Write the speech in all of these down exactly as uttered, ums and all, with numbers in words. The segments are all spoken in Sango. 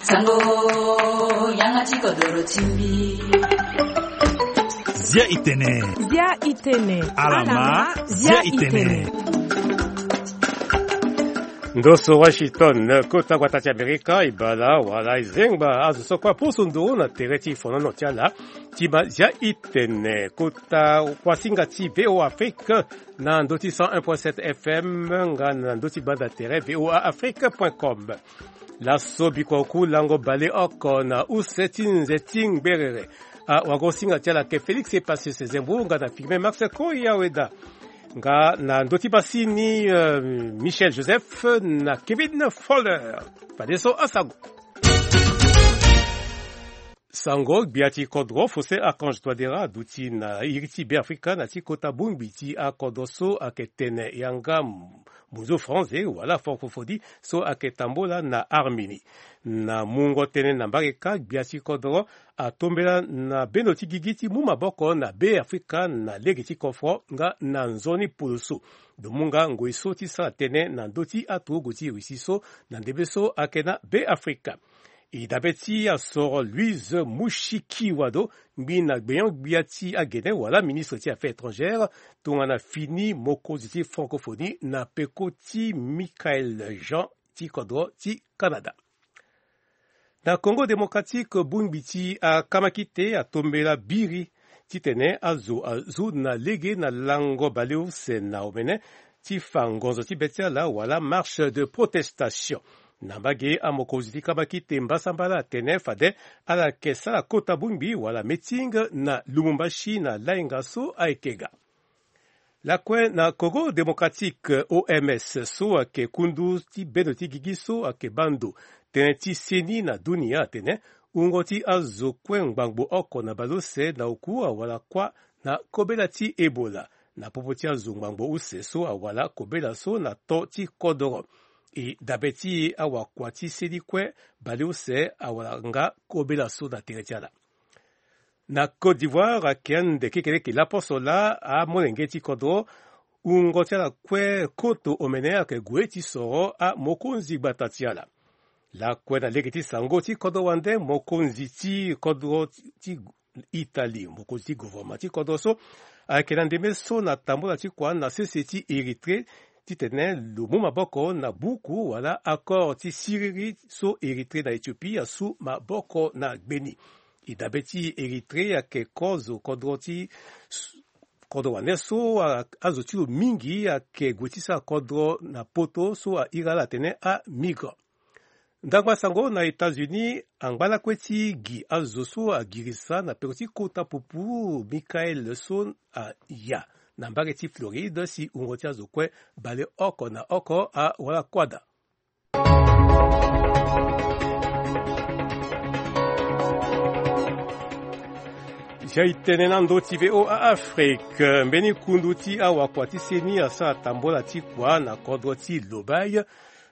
Sango, yanga ti kodoro ti mbi. Zia itene. Zia itene. Alama, zia itene. Ndo so Washington, kota gbata ti Amerika, e bala wala e zengba azo so kue aposo nduru na tere ti fonono ti ala. Ti ma zia itene kota kuasinga ti V O A Afrique na ndö ti cent un point sept F M nga na ndö ti banda tere V O A Afrique point com. Laso bikua oku lango baleoko na use ti nze ti ngberere. Awagosinga ti ala ayeke Félix Epacius Zembo nga na Firmin Max Koyaweda. Nga na ndö ti basini, euh, Michel Joseph na Kevin Foller. Fadeso asango. Sango, gbia ti kodro Faustin Archange Touadéra aduti na iri ti Beafrika na ti kota bongbi ti akodro so ayeke tene yanga munzu français wala francophonie so ayeke tambula na Arménie. Na mungo tënë na mbage kâ, gbia ti kodro atombela na bendo ti gigi ti mu maboko na Beafrika na lege ti kofro nga na nzoni poloso. Lo mu nga ngoi so ti sara tënë na ndö ti aturugu ti Russie so na ndembe so ayeke na Beafrika. E dabe ti asoro Louise Mushikiwado, ngbi na gbenyo-gbia ti agene wala ministre ti Affaires étrangères, tongana fini mokonzi ti francophonie na peko ti Michaël Jean ti kodro ti Canada. Na Congo Démocratique, bongbi ti akamakite atombela biri titene azo azo na lege na lango baleuse na omene ti fa ngonzo ti be ti ala wala marche de protestation. Na mbage, amokonzi ti kamakite mbasambala atene fade ala yeke sara kota bongbi wala meeting na Lubumbashi na lainga so ayeke ga. Lakue na Congo Démocratique, O M S so ayeke kundu ti bendo ti gigi so ayeke baa ndo tënë ti seni na dunia atene wungo ti azo kue ngbangbo oko na baleuse na oku awara kuâ na kobela ti Ebola. Na popo ti azo ngbangbo use so awara kobela so na to ti kodoro. E dabe ti awakua ti seni kue baleuse awara nga kobela so na tere ti ala. Na Côte d'Ivoire, ayeke ande kekereke laposo laa amolenge ti kodro wungo ti ala kue koto omene ayeke gue ti soro amokonzi gbata ti ala. Lakue na lege ti sango ti kodro wande, mokonzi ti kodro ti Italie, mokonzi ti gouvernement ti kodro so ayeke na ndembe so na tambula ti kua na sese ti Érythrée titene lo mu maboko na buku wala accord ti siriri so Érythrée na Éthiopie asu maboko na gbeni. E dabe ti Érythrée ayeke kozo kodro ti kodro wande so a- azo ti lo mingi ayeke gue ti sara kodro na poto so a iri ala atene amigrant. Ndangba sango na États-Unis, angba lakue ti gi azo so agirisa na peko ti kota pupu Michael so aya na mbage ti Floride si wungo ti azo kue baleoko na oko awara kuâ daa. Zia e tene na ndö ti V O A Afrique, mbeni kundu ti awakua ti seni asara tambola ti kua na kodro ti Lobaye.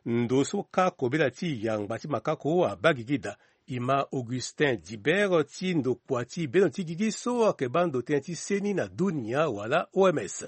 Ndo so kâ kobela ti yangba ti makako abaa gigi daa. E ma Augustin Dibert ti ndokua ti bendo ti gigi so ayeke baa ndo tënë ti seni na dunia wala O M S.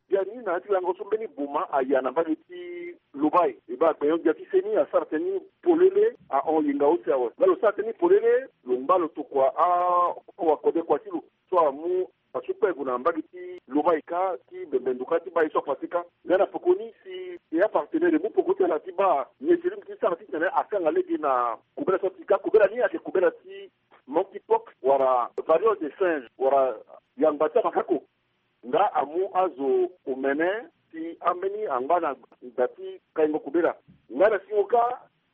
Biani na ya ti lango so mbeni boma aya na mbage ti Lobaye, e baa gbenyo-gbia ti seni asara tënë ni polele ahon yenga use awe. Nga lo sara tënë ni polele, lo ngba lo tokua a- awakode kua ti lo so amu asu kpe gue na mbage ti Lobaye kâ ti bembe ndo kâ ti baa ye so apase kâ. Nga na pekoni si e apartenaire e mu peko ti ala ti baa nyeti lingbi ti sara titene akanga lege na kobela so ati kâ. Kobela ni ayeke kobela ti monkeypox wala variole de singe wala yangba ti amakako. Nga amu azo omene si ambeni angba na da ti kaingo kobela. Nga na singo kâ,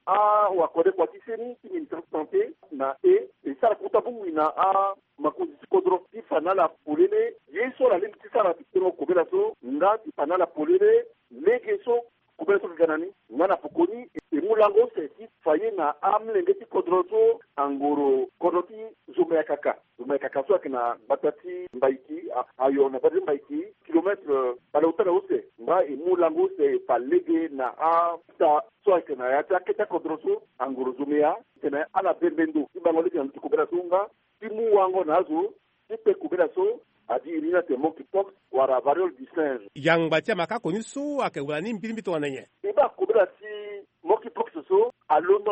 awakode kua ti seni ti ministre ti santé na e e sara kota bongbi na amakonzi ti kodro ti fa na ala polele ye so ala lingbi ti sara ti tengo kobela so nga ti fa na ala polele lege so kobela so ayeke ga na ni. Nga na pekoni e mu lango use ti fa ye na amolenge ti kodro so angoro kodro ti Zomea kaka. Zomea kaka so ayeke na gbata ti Mbaiki, a- ayo na gbata ti Mbaiki, kilometre baleota na use. Nga e mu lango use e fa lege na ata so ayeke na ya ti akete akodro so angoro Zomea titene ala bembe ndo ti bango lege na ndö ti kobela so nga ti mu wango na azo ti kpe kobela so adi iri ni atene monkeypox wala variole du singe. Yangba ti amakako ni so ayeke wara ni mbirimbiri tongana nyen? E baa kobela ti monkeypox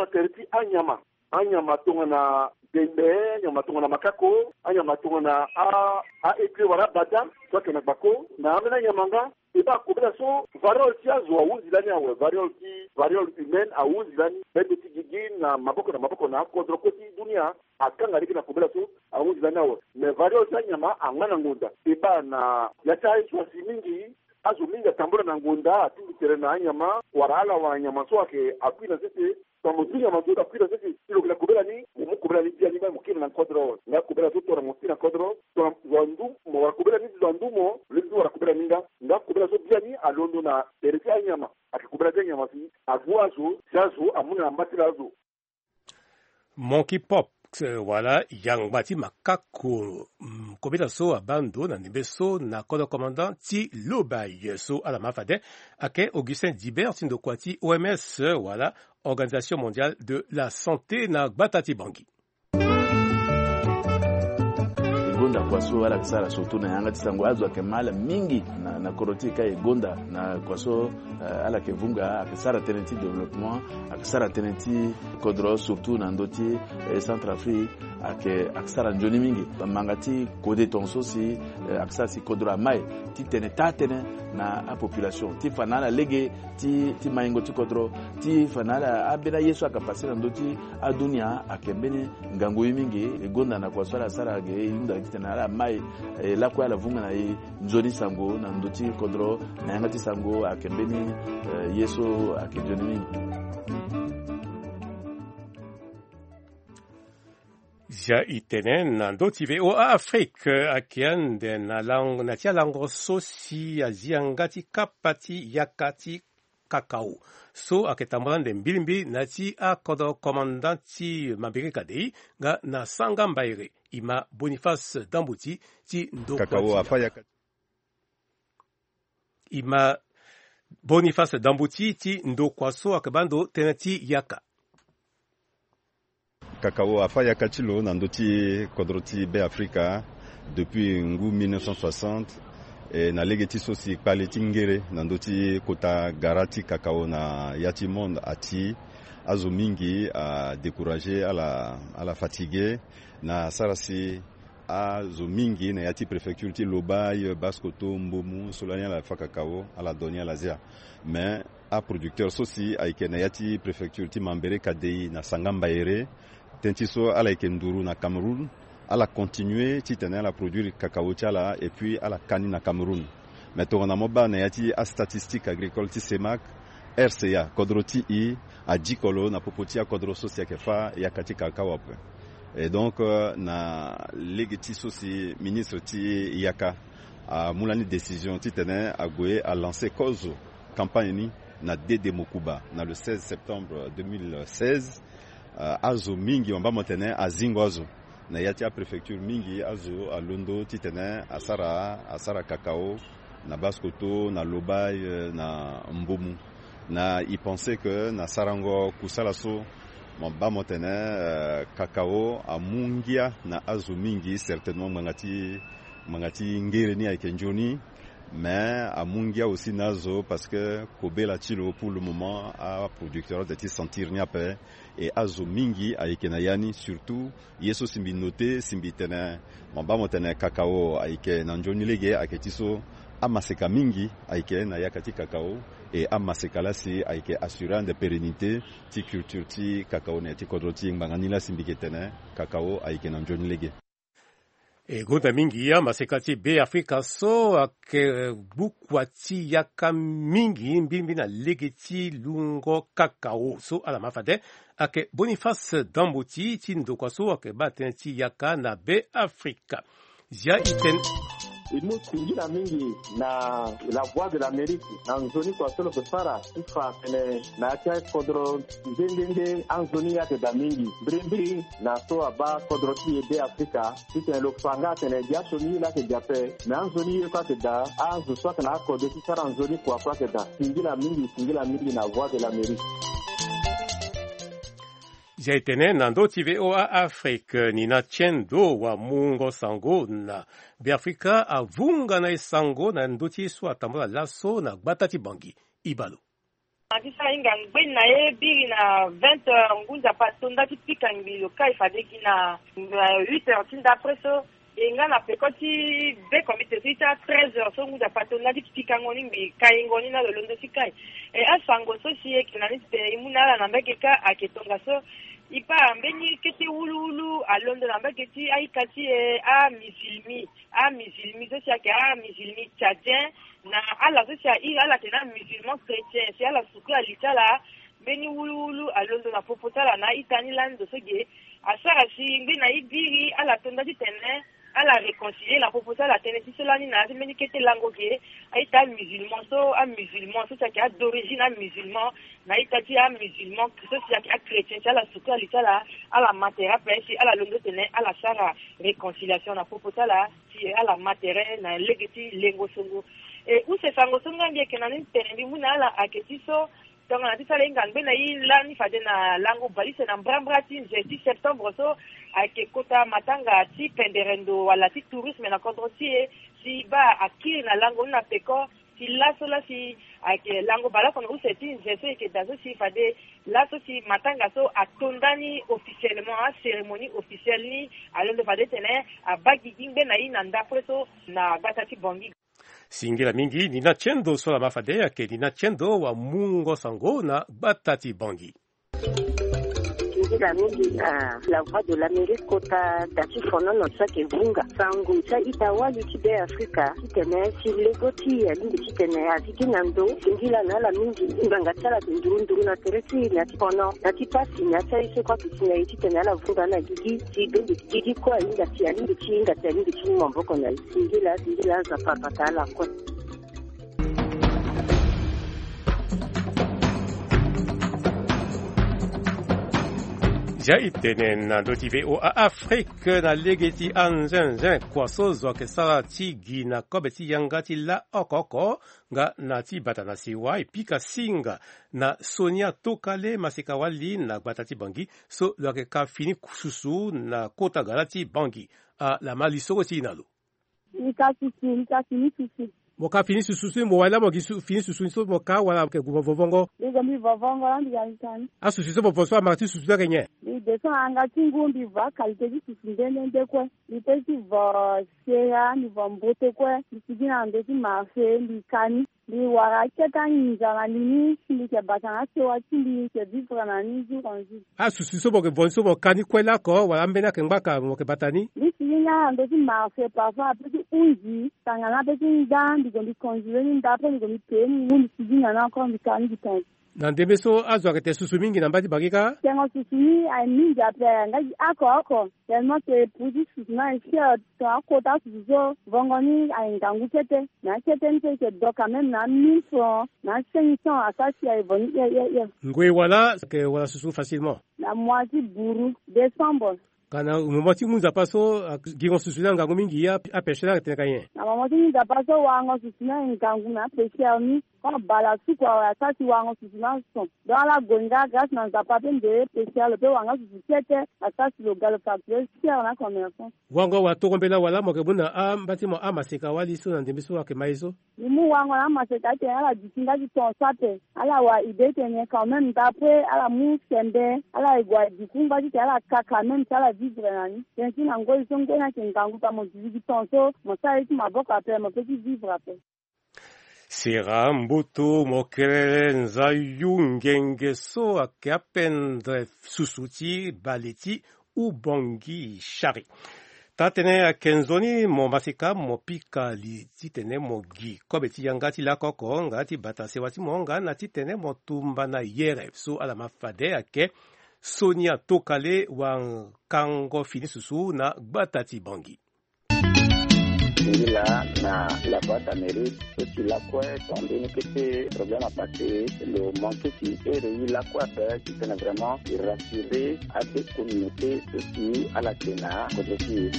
Tere ti anyama, anyama tongana dende, anyama tongana makako, anyama tongana a a-ecre wala abada, so ayeke na gbako na ambeni anyama nga. E baa kobela so variole ti azo ahunzi lani awe, variole ti variole humaine ahunzi lani, bende ti gigi na maboko na maboko na akodro kue ti dunia. Akanga lege na kobela so ahunzi lani awe, me variole ti anyama angba na ngonda. E baa na ya ti aye so asi mingi, azo mingi atambula na ngonda, atingbi tere na anyama wala ala wara nyama so ayeke akui na sese. Tongana mo tu nyama so akui na sese, si lo yeke na kobela ni, mo mu kobela ni biani, mo kiri na kodro. Nga kobela so tongana mo si na kodro, tongana zo andu mo wara kobela ni, zo andu mo lezi wara kobela ni nga. Nga kobela so biani alondo na tere ti anyama, ayeke kobela ti anyama si agu azo si azo amu na mba ti la azo. Monkeypox, eh, wala yangba ti makako, mm, kobela so abaa ndo na ndembe so na kodro commandant ti Lobaye so ala ma fade, ayeke Augustin Dibert ti ndokua ti O M S, eh, wala Organisation Mondiale de la Santé na gbata ti Bangui. E gonda kua so ala yeke sara surtout na yanga ti sango, azo ayeke ma ala mingi na, na kodro ti e ka e gonda na kua so, eh, ala yeke vunga, ayeke sara tënë ti développement, ayeke sara tënë ti kodro surtout na ndö ti, eh, Centrafrique, ayeke, ayeke sara nzoni mingi. Manga ti kode tongaso si, eh, ayeke sara si kodro amai ti tene taa tënë na apopulation ti fa na ala lege ti, ti maingo ti kodro, ti fa na ala ambeni aye so ayeke pase na ndö ti adunia ayeke mbeni ngangu ye mingi. E gonda na kua so ala sara ge, e hunda titene ala mai, e lakue ala vunga na e nzoni sango na ndö ti kodro na yanga ti sango ayeke mbeni, eh, ye so ayeke nzoni mingi. Zia e tene na ndö ti V O A Afrique, eh, ayeke ande na lango, na ti alango so si azi yanga ti kapa ti yaka ti kakao so ayeke tambula ande mbilimbili na ya ti akodro commandant ti Mambéré Kadei nga na Sanga Mbaéré. E ma Boniface Dambouti ti ndokua kakao ti afa yaka. E ma Boniface Dambouti ti ndokua so ayeke baa ndo tënë ti yaka. Kakao afa yaka ti lo na ndö ti kodro ti Beafrika depuis ngu mille neuf cent soixante. E na lege ti so si kpale ti ngere na ndö ti kota gara ti kakao na ya ti monde ati, azo mingi adécouragé, ala, ala fatigué na sara si azo mingi na ya ti préfecture ti Lobaye, Basse-Kotto, Mbomou, so lani ala fa kakao, ala doni ala zia. Mais aproducteur so si ayeke na ya ti préfecture ti Mambéré Kadei na Sanga Mbaéré, tënë ti so ala yeke nduru na Cameroun, ala continué titene ala produire kakao ti ala et puis ala ka ni na Cameroun. Mais tongana mo baa na ya ti astatistique agricole ti CEMAC, R C A, kodro ti e adiko lo na popo ti akodro so si ayeke fâ yaka ti kakao ape. Et donc, euh, na lege ti so si ministre ti yaka amu lani décision titene ague alancer kozo campagne ni na Dédé Mocouba na le seize septembre deux mille seize. Euh, azo mingi, mo baa mo tene azingo azo. Na ya ti apréfecture mingi azo alondo titene asara, asara kakao na Basse-Kotto, na Lobaye, euh, na Mbomou. Na e pensé que na sarango kusala so, mo baa mo tene, euh, kakao amu ngia na azo mingi, certainement ngbanga ti, ngbanga ti ngere ni ayeke nzoni. Mais amu ngia aussi na azo parce que kobela ti lo pour le moment aproducteur azo ti sentir ni ape. Et azo mingi ayeke na ya ni, surtout ye so si mbi noté, si mbi tene mo baa mo tene kakao ayeke na nzoni lege, ayeke ti so amaseka mingi ayeke na yaka ti kakao. Et amaseka laa si ayeke assurer ande pérennité ti culture ti kakao na ya ti kodro ti e. Ngbanga ni laa si mbi yeke tene kakao ayeke na nzoni lege. E gonda mingi amaseka ti Beafrika so ayeke gbu kua ti yaka mingi mbirimbi na lege ti lungo kakao so ala ma fade. Ayeke Boniface Dambouti ti ndokua so ayeke baa tënë ti yaka na Beafrika. Zia e tene. E mu singila mingi na La Voix de l'Amérique na nzoni kua so lo yeke sara ti fa atene na ya ti akodro nde nde nde anzoni ye ayeke daa mingi. Mbirimbiri na so abaa kodro ti e Beafrika, titene lo fa nga atene gi asioni ye laa ayeke gi ape, me anzoni ye kue ayeke daa. Azo so ayeke na akode ti sara nzoni kua kue ayeke daa. Singila mingi, singila mingi na Voix de l'Amérique. Zia e tene na ndö ti V O A Afrique, Nina Tiendo wamungo sango na Beafrika avunga na e sango na ndö ti ye so atambula laso na gbata ti Bangui. Ibalo. Na ti sara hinga ngbeni na ye biri na vingt heures, ngu nzapa tonda ti pika ngbii lo kai fade gi na huit heures ti ndapre so. E nga na peko ti be comité so ita treize heures so ngu nzapa tonda ti pikango ni ngbii kaingo ni na lo londo ti kai. E asango so si eke na ni ti tene e mu na ala na mbage kâ ayeke tongaso. E baa mbeni kete wuluwulu alondo na mbage ti a-ita ti e, amizilmi. Amizilmi so si ayeke amizilmi tchadien. Na ala so si airi ala tene amusulman chrétien si ala sukula li ti ala. Mbeni wuluwulu alondo na popo ti ala na a-ita ni lani ndo so ge. Asara si ngbeni na e biri ala tonda ti tene ala réconcilier na popo ti ala tënë ti so lani na ya ti mbeni kete lango ge. A-ita amusulman so amusulman so si ayeke adorigine amusulman na a-ita ti amusulman so si ayeke achrétien si ala sukula li ti ala. Ala ma tere ape si ala londo tene ala sara réconciliation na popo ti ala. Si ala ma tere na lege ti lengo songo. E use sango so nga mbi yeke na ni tene mbi mu na ala ayeke ti so. Tongana ti sara e hinga ngbeni na e lani fade na lango bale use na mbrambra ti nze ti septembre so ayeke kota matanga ti pendere ndo wala ti tourisme na kodro ti e. Si e baa akiri na lango ni na peko. Si laso la si ayeke lango baleoko na use ti nze so e yeke daa so si fade laso si matanga so atonda ni officiellement acérémonie officielle ni. Alondo fade tene abaa gigi ngbeni na e na ndapre so na gbata ti Bangui. Singila mingi ni na tiendo so lama fade ayeke ni na tiendo wamungo sango na gbata ti Bangui. Singila mingi na la voix de l'Amérique kota da ti fonono so ayeke vunga sango ti a-ita wali ti Beafrika titene si lego ti e alingbi titene avigi na ndo. Singila na ala mingi ngbanga ti ala ayeke nduru nduru na tere ti e na ti fono na ti pasi na ya ti aye so kue ayeke si na e titene ala vunga na gigi. Si bende gigi kue ahinga si alingbi ti hinga si alingbi ti mu maboko na e. Singila singila Nzapa abata ala kue. Zia e tene na ndö ti V O A Afrique na lege ti anzenze kua so zo ayeke sara ti gi na kobe ti yanga ti la oko oko nga na ti bata na sewa e pika singa na Sonia Tokale maseka wali na gbata ti Bangui so lo yeke ka fini susu na kota gara ti Bangui. Ala ma lisoro ti e na lo. Mbi ka susu, mbi ka fini susu. Mo ka fini susu so mo wali laa mo gi su- fini susu ni so mo ka wala mo yeke gue mo vovongo? Mbi gue mbi vovongo laa mbi ga mbi ka ni. Asusu so mo vo so amara ti susu ni ayeke nyen? Mbi descend na yanga ti ngu mbi vo akalité ti susu nde nde nde kue. Mbi pe ti vo sera mbi vo mbote kue mbi sigi na ndo ti marché mbi ka ni. Mbi wara akete anginza na li ni si mbi yeke bata na asewa ti mbi mbi yeke vivre na ni jour en jour. Asusu so mo yeke vo ni so mo ka ni kue laoko wala ambeni ayeke ngbaka mo yeke bata ni? Mbi sigi nga na ndo ti marché parfois ape ti hunzi tanga na ape ti nda mbi gue mbi conjurer ni nda après mbi gue mbi pee ni ngu mbi sigi na ni encore mbi ka ni mbi tonga. Na ndembe so azo ayeke te susu mingi na mba ti Bangui kâ? Tengo susu ni aye mingi ape nga gi oko oko. Tellement que prix ti susu ni aye cher. Tongana akota susu so vongo ni aye ngangu kete. Na akete ni so e yeke do quand même na mille francs na cinq cents asara si aye vo ni hie hie hie. Ngoi wala ayeke wara susu facilement? Na mois ti buru décembre. Ka na moment ti ngu nzapa so gingo susu ni angangu mingi apêcheur ni atene ka nyen? Na moment ti ngu nzapa so warango susu ni aye ngangu na apêcheur ni. Quand bala suku awe asara si warango susu ni ason. Donc ala gue nga grâce na nzapa pe nde pêcheur lo pe wara nga susu kete. Asara si lo ga lo facture cher na commerçant. Wango wala toro mbela wala mo yeke mu na amba ti mo amaseka wali so na ndembe so ayeke ma ye so? Mbi mu wango na amaseka atene ala duti nga ti ton so ape. Ala wara idée tene quand même d'après ala mu sembe ala ye gue aduku ngba titene ala ka quand même si ala vivre na ni. Tene ti na ngoi so ngoi ni ayeke ngangu pa mo duti gi ton so mo sara ye ti maboko ape mo pe ti vivre ape. Sera mboto mo kerere nzayu ngenge so ayeke apendre susu ti bale ti Ubangui Chari. Taa-tënë ayeke nzoni mo maseka mo pika li titene mo gi kobe ti yanga ti lakoko nga ti bata sewa ti mo nga na titene mo tumba na yere so ala ma fade ayeke Sonia Tokale wakango fini susu na gbata ti Bangui. Singila na la boîte Amérique so ti lakue ton mbeni kete problème apase lo manke ti ere ye lakue ape titene vraiment e rassurer abe communauté so ti ala te na kodro ti e.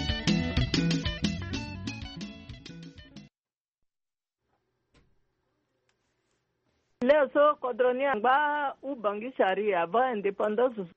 Leo so kodro ni angba Ubangui Chari avant indépendance.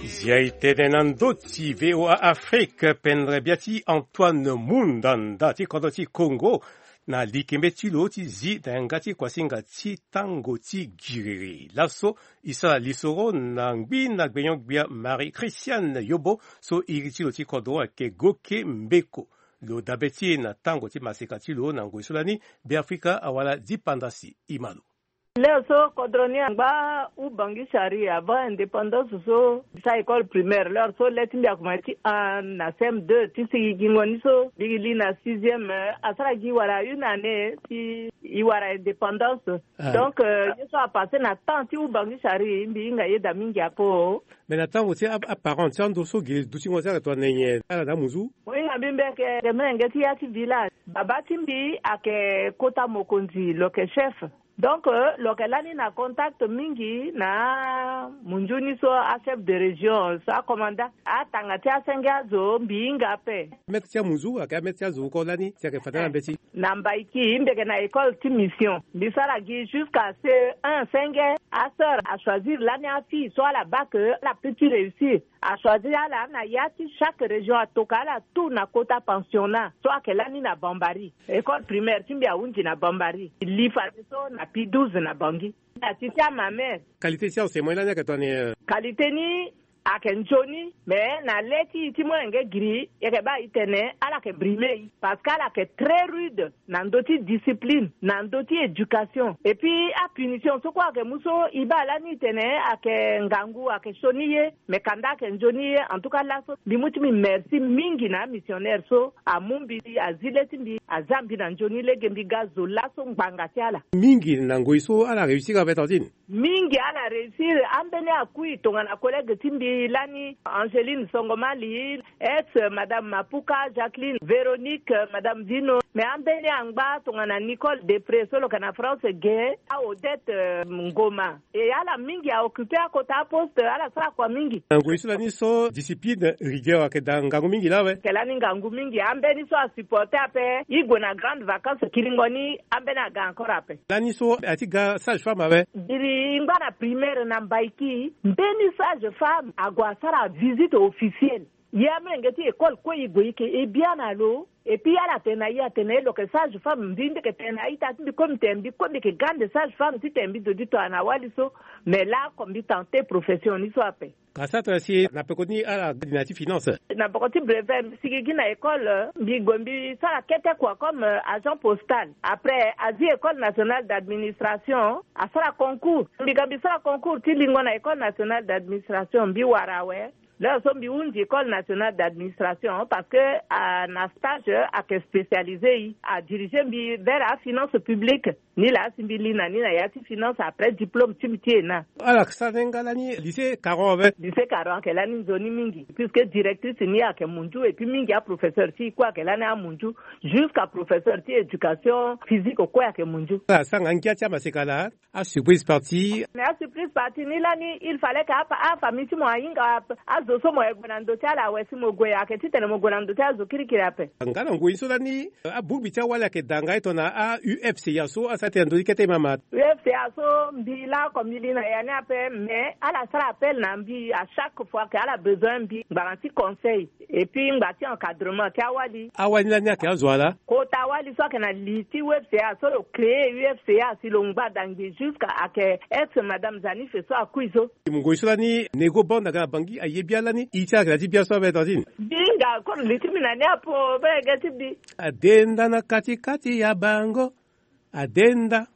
Zia e tene na ndö ti VOA Afrique, pendere bia ti Antoine Mundanda ti kodro ti Congo, na likembe ti lo ti zi na yanga ti kuasinga ti tango ti giriri. Laso e sara lisoro na ngbi na gbenyo-gbia Marie Christiane Yobo, so iri ti lo ti kodro ayeke Goke Mbeko. Lo dabe ti e na tango ti maseka ti lo na ngoi so lani Beafrika awara dipanda si. E ma lo. Leo so kodro ni angba Ubangui Chari avant indépendance so, sa école primaire, leo so le ti mbi akoma ti un na C M deux ti sigingo ni so mbi li na sixième, asara gi wara une année si e wara indépendance. Donc ye so apasse na temps ti Ubangui Chari, mbi hinga yeda mingi apo. Mais na tango ti aparent ti ando so ge dutingo ti ala tongana nyen, ala na amunzu? Mo hinga mbi mbi ayeke, ayeke molenge ti ya ti village. Babâ ti mbi ayeke kota mokonzi, lo yeke chef. Donc lo yeke lani na contact mingi na amunzu ni so, achef de région so, acommandant. Atanga ti asenge azo mbi hinga ape. Maître ti amunzu ayeke amaître ti azo oko lani si ayeke fade na mbeti? Na Mbaiki, mbi yeke na école ti mission. Mbi sara gi jusqu'à C E un. Senge, asœur achoisir lani afille so ala baa ke ala peut ti réussir. Achoisir ala na ya ti chaque région, atoka ala tout na kota pensionnat so ayeke lani na Bambari. École primaire ti mbi ahunzi na Bambari. Li fadeso na P douze na Bangui. Na ti ti amamere. Qualité ti enseignement lani ayeke tongana nyen? Qualité ni ayeke nzoni, mais na le ti e ti molenge giri, e yeke baa e tene ala yeke brime e, parce que ala yeke très rude na ndö ti discipline, na ndö ti éducation. Et puis apunition so kue ayeke mu so, e baa lani e tene ayeke ngangu, ayeke sioni ye, mais kanda ayeke nzoni ye. En tout cas laso mbi mu ti mbi merci mingi na amissionnaire so amu mbi, azi le ti mbi, aza mbi na nzoni lege mbi ga zo laso ngbanga ti ala. Mingi na ngoi so ala réussir ape tantine? Mingi ala réussir. Ambeni akui tongana collègue ti mbi lani, Angeline Songomali, ex madame Mapuka, Jacqueline, Véronique, madame Vino. Mais ambeni angba tongana Nicole Depré so lo yeke na France ge, a Odette, euh, Ngoma. E ala mingi a occuper akota aposte, ala sara kua mingi. Na ngoi so lani so discipline, rigueur ayeke daa ngangu mingi laa awe? Ayeke lani ngangu mingi. Ambeni so asupporter ape, e gue na grande vacance kiringo ni, ambeni aga encore ape. Lani so ati ga sage femme awe? Giri e ngba na primaire na Mbaiki, mbeni sage femme ague asara visite officielle. Ye amolenge ti école kue e gue e yeke e biani na lo. Et puis ala tene na e, atene na e lo yeke sage femme. Mbi, mbi yeke tene na a-ita ti mbi kue, mbi tene mbi kue mbi yeke grande sage femme titene mbi zo ti tongana wali so. Mais laoko mbi tenter profession ni so ape. Ka sara tongana si na peko ni ala ga li na ya ti finance? Na peko ti brevet mbi sigi gi na école, mbi gue mbi sara kete kua comme, euh, agent postal. Après azi école nationale d'administration, asara concours. Mbi ga mbi sara concours ti lingo na école nationale d'administration, mbi wara awe. Leo so mbi hunzi école nationale d'administration parce que, ah, na stage ayeke spécialisé e, adiriger mbi vers afinance publique. Ni laa si mbi li na ni na ya ti finance après diplôme ti mbi ti E N A. Ala yeke sara ni nga lani lycée Caron awe? Lycée Caron ayeke lani nzoni mingi puisque directrice ni ayeke munzu, et puis mingi aprofesseur ti e kue ayeke lani amunzu, jusqu'à professeur ti éducation physique kue ayeke munzu. Ala sara nga ngia ti amaseka laa? Asurprise party. Mais asurprise party ni lani, il fallait que apa, afamille ti mo ahinga azo so mo yeke gue na ndö ti ala awe si mo gue, ayeke titene mo gue na ndö ti azo kirikiri ape. Nga na ngoi so lani, abongbi ti awali ayeke daa nga e tongana a-U F C A so asara tene ndö ti kete mama. U F C A so mbi laoko mbi li na ya ni ape, mais ala sara appel na mbi à chaque fois que ala besoin mbi ngbanga ti conseil. Et puis ngba ti encadrement ti awali. Awali ni lani ayeke azo ala? Kota awali so ayeke na li ti U F C A so lo créer U F C A si lo ngba dangbi jusqu'à ayeke ex madame Zanife so akui so. Ngoi so lani Nego Band aga na Bangui aye bia lani, iri ti ala ayeke na ya ti bia so abe tantine? Mbi hinga encore li ti mbi na ni apo, be ege ti mbi. Adenda na kati kati ya bango. Adenda.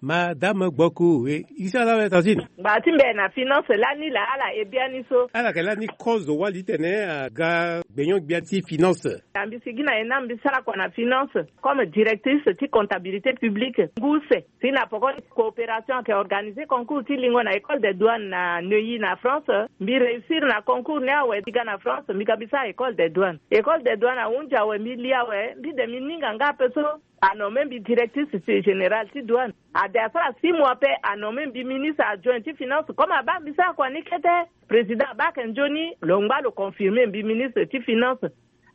Madame Gboku, e, iri ti ala awe tantine? Ngba ti mbi na finance lani laa ala ye biani so. Ala yeke lani kozo wali titene aga gbenyo-gbia ti finance. Na mbi sigi na E N A, mbi sara kua na finance comme directrice ti comptabilité publique. Ngu use si na poko ni coopération ayeke organiser concours ti lingo na école des douanes na Neuilly na France. Mbi réussir na concours ni awe, mbi ga na France, mbi ga mbi sara école des douanes. École des douanes ahunzi awe, mbi li awe, mbi de mbi ninga nga ape so. Anomme mbi directrice ti générale ti douane. Ade asara six mois ape, anomme mbi ministre adjoint ti finance. Comme abaa mbi sara kua ni kete, président abaa ayeke nzoni, lo ngba lo confirmer mbi ministre ti finance.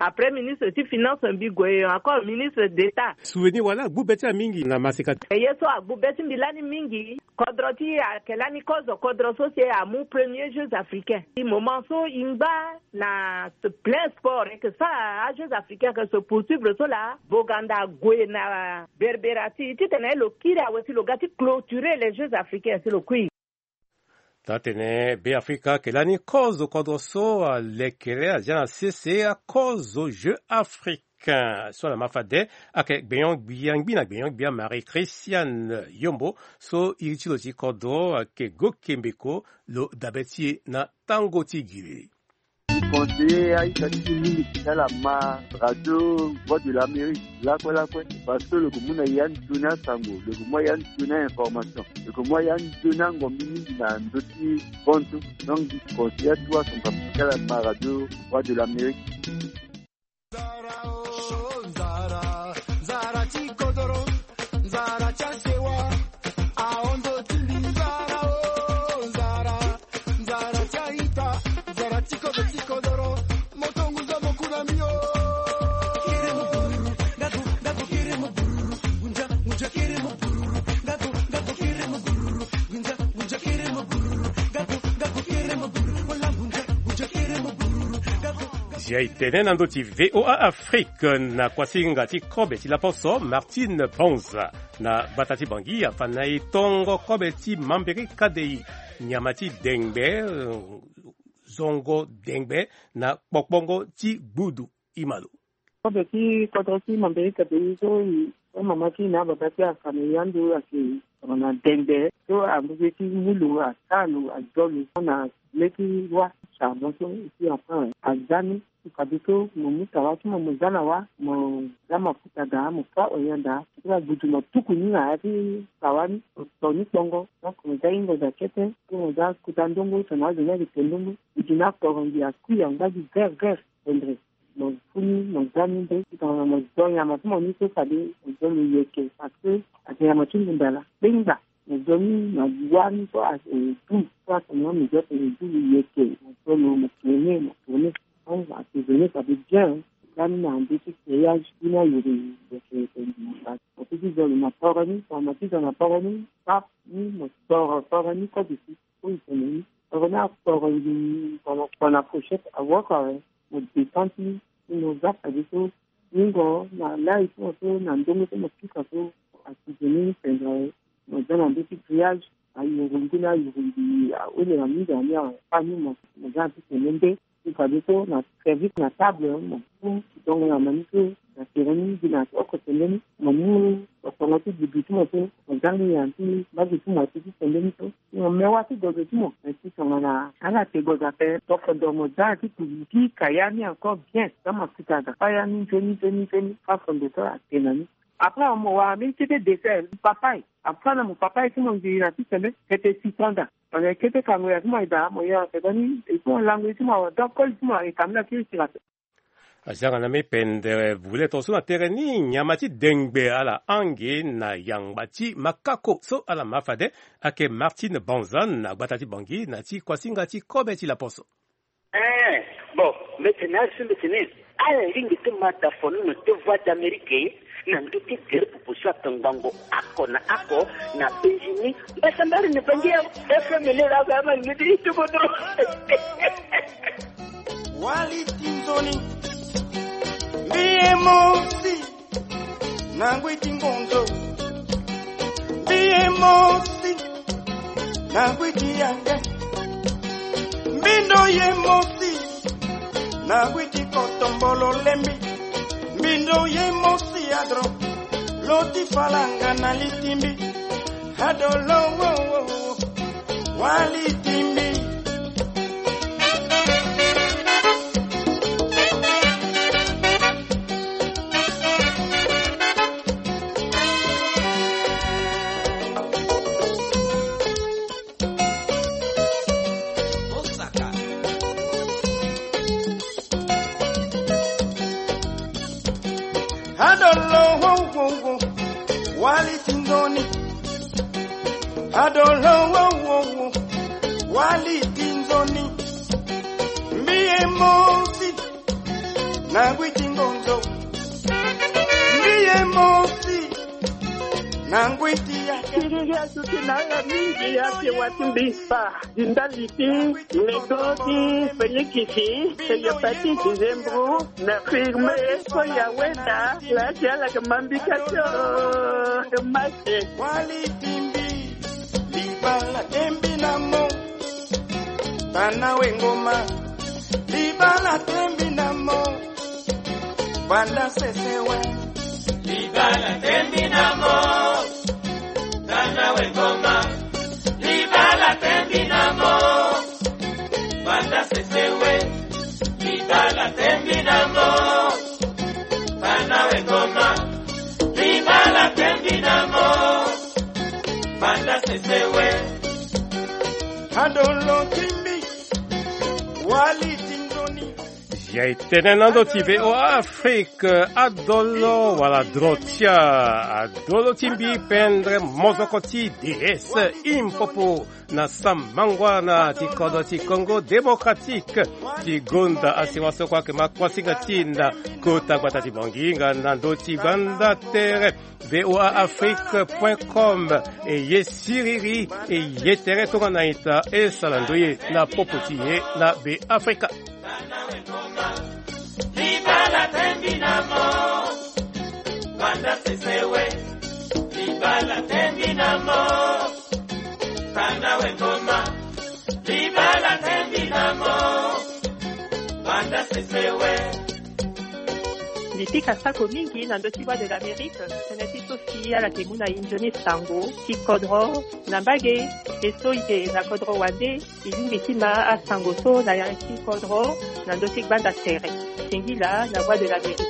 Après ministre ti finance mbi gue encore ministre d'état. Souvenir wala agbu be ti amingi na masika. Ye so agbu be ti mbi lani mingi. Kodro ti ayeke lani kozo kodro so si amu premier jeux africain ti moment so e ngba na plein sport eke sa ajeux africain eke se poursuivre so laa. Boganda ague na berbera ti titene lo kiri awe si lo ga ti clôturer les jeux africains si lo kui. Taa tene be afrika ayeke lani kozo kodro so alekere azia na sese akozo jeux africain so ala ma fade. Ayeke gbenyo-gbia ngbi na gbenyo-gbia marie christiane yombo so iri ti lo ti kodro ayeke gokembeko. Lo dabe ti e na tango ti giri. Conseiller aita ti mingi ti ala ma radio voix de l'amérique lakue lakue. Parce que lo ke mu na ya nzoni asango, lo ke mu ya nzoni a information, lo ke mu ya nzoni angombi mingi na ndö ti kontu. Donc conseiller atu asango ti ala ma radio voix de l'amérique. Nzara o nzara, nzara ti kodoro, nzara ti asewa. Ahondo ti mbi nzara o nzara, nzara ti aita, nzara ti kodo ti kodoro. Moto ngunza mo ku na mbi o. Zia e tene na ndö ti voa afrique na kuasinga ti kobe ti laposo martine ponza na gbata ti bangi afa na e tongo kobe ti mambiri kadei nyama ti dengbe, zongo dengbe na kpokpongo ti gbudu. Imalo. Kobe ti kodro ti mambiri kadei so e so mama ti e na ababa ti afa na e ando ayeke tongana dengbe so ambe ti mu lo asa lo azo lo na le ti roi charbon so e si enfin aza ni. Fadeso mo mu tawa ti mo mo za na wa mo za mafuta daa mo fa oyon daa ti la gbudu mo tuku ni na ya ti tawa ni mo to ni kpongo. Donc mo za hingo daa kete ti mo za kuta ndongo tongana azo ni ayeke te ndongo. Gbudu ni akporo ngi akui angba gi vert vert. Tendre mo fu ni mo za ni nde tongana mo zo nyama ti mo ni so fade mo zo lo yeke parce que ayeke nyama ti ngunda laa kpengba. Mo zo ni na wâ ni so aye du so atene mo zo tene du lo yeke mo zo lo mo tourne mo tourne. Asezone fade bien. Za ni na nde ti payage ti ni ayere yeke yeke mo fâ ti zo lo na poro ni tongana mo ti zo na poro ni pap ni mo toro poro ni kode si. Oyo tene ni toro ni atoro ngi tongana kpo na fourchette awoko awe. Mo descend ti ni mo za fade so. Ningo na lai ti mo so na ndongo so mo pika so asizoni ni tendre awe. Mo za na ndö ti grillage ayuru ngu ni ayuru ngi aole na mingi na ni awe. Fani mo mo za na ti tene nde ti fadeso na service na table mo mu dongo na ma ni so na tere ni gi na oko tene ni mo mu okongo ti bibi ti mo so mo za ni na ti mbage ti mo ati ti tene ni so. Mo me wâ ti gozo ti mo me ti tongana ala te gozo ape. Tokodo mo za na ti kuzu ti ka ya ni encore bien. Za mo akuta aga fa ya ni nzoni nzoni nzoni fa fondo so ate na ni. Après mo wara mbeni kete dessert papaye. Après na mo papaye ti mo nziri na ti sembe kete citron daa. Mo na kete kango ya ti mo aye daa mo yere na sembe ni. Et puis mo lango ye ti mo awe donc koli ti mo aye kambi na kiri sira ape. Azia nga na mbi pendere vule tongaso na tere ni nyama ti dengbe ala hang e na yangba ti makako so ala ma fade. Ayeke martine banzan na gbata ti bangi na ti kuasinga ti kobe ti laposo. Eh, bon, mbi tene azo so mbi tene ala lingbi ti ma da fo ni na ti voix d'amérique na ndö ti gere popo so atongbango ako na ako na benzini mbasambari na bangi ya fm lera aba ama lingbi ti ti kodro. Wali ti nzoni mbi ye mosi na ngui ti ngonzo mbi ye mosi na ngui ti yange mbindo ye mosi na ngui ti kotombolo lembi mbindo ye mosi adro lo ti falanga na litimbi. Adolo wo wo wo wali timbi. Adolo wo wo wo wali ti nzoni. Adolo wo wo wo wali ti nzoni. Mbi ye mosi Na ngui ti ngonzo. Mbi ye moti. Na ngui ti yaka. Siriri asuki na ala mingi ake wati mbi fa. Di ndali ti lego ti fenikisi, hepatite, zembro, na firme, so ya weta, la ti ala ke mambika tio. Mate. Wali timbi, libala tembi na mo. Tana we ngoma, libala tembi na mo. Banda sese we. Libala tembi na mo. Tana we ngoma. Libala tembi na mo. Banda sese we. Libala tembi na mo. Tana we ngoma. Libala tembi na mo. Banda sese we. Adolo timbi. Wali tindoni. Ya e tene na ndo ti V O A Afrique, adolo wala drotia, adolo ti mbi pendre mozoko ti D S Impopo na samangwana ti kodro ti Congo Démocratique, ti gonda asiwa so kue ayeke ma kuasinga ti e na kota gbata ti Bangui nga na ndo ti gbanda tere. V O A Afrique point com. E ye siriri, e ye tere tongana ita, e sara ndoye na popo ti e na Be Afrika. Libala tembi na mo. Banda sese we. Libala tembi na mo. Tana we ngoma. Libala tembi na mo. Banda sese we. Mbi pika sako mingi na ndö ti Voix de l'Amérique, tënë ti so si ala yeke mu na e nzoni sango ti kodro na mbage, e so e yeke na kodro wande, e lingbi ti ma asango so na ya ti kodro na ndö ti gbanda tere. Singila na Voix de l'Amérique.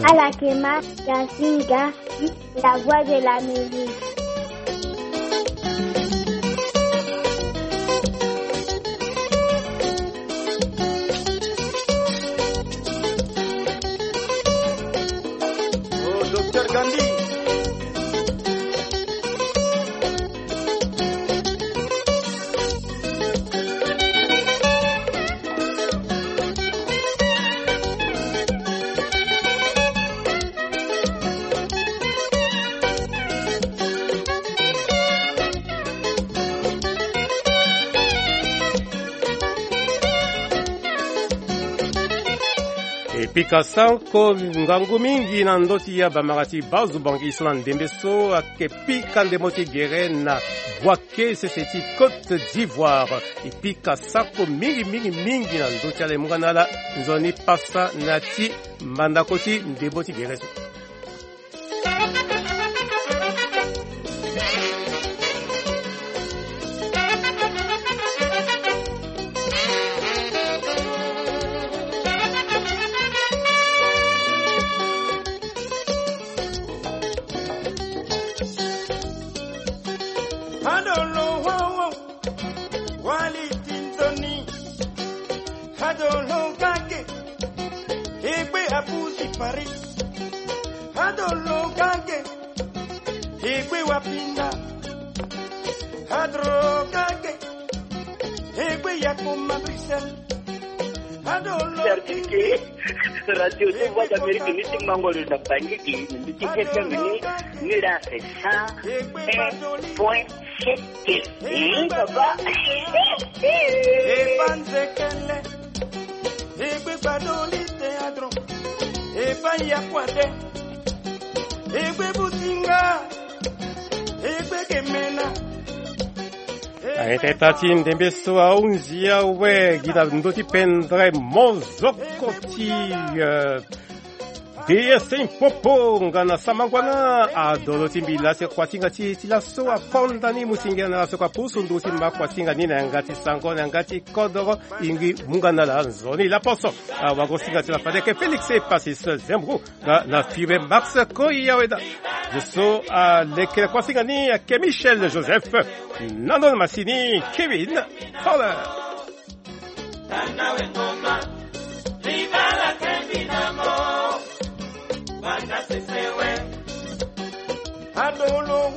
Ala yeke ma ya singa. La Voix de l'Amérique. Oh, Docteur Gandhi. E pika sako ngangu mingi na ndö ti ya bamara ti bazo Bangui so na ndembe so ayeke pika ndembo ti gere na Bouaké, sese ti Côte d'Ivoire. E pika sako mingi mingi mingi na ndö ti ala, e mu nga na ala nzoni pasa na ti mandako ti ndembo ti gere so. Adolo wowo, wali tintoni. Adolo kake, egbe abuzi Paris. Adolo kake, egbe wapinda. Adolo kake, egbe yakoma Bruxelles. Adolo kake. Radio ti Voix d'Amérique ni ti mango lo na Bangui, ni ti F M ni, ni la c'est cent un point sept. Egbe baba. Egbe banzekele. Egbe gbadoli teatro. Egbe yakwate. Egbe businga. Egbe kemena. Aye teta ti ndembe so ahunzi awe gi na ndö ti pendre mozoko ti, eh, D S Impopo nga na samangwana. Adolo ti mbi la si akuatinga ti e ti laso akonda ni, mu singia na laso kua pusu ndu ti mba kuatinga ni na yanga ti sango, na yanga ti kodoro. E ngbi mu nga na ala nzoni laposo. Awagosinga ti la fade ke Félix Epasis Zembro nga na Fibe Max Koyaweda. Zo so alekere kuasinga ni ayeke Michel Joseph. Na ndo na masini Kevin Fowler. Adolo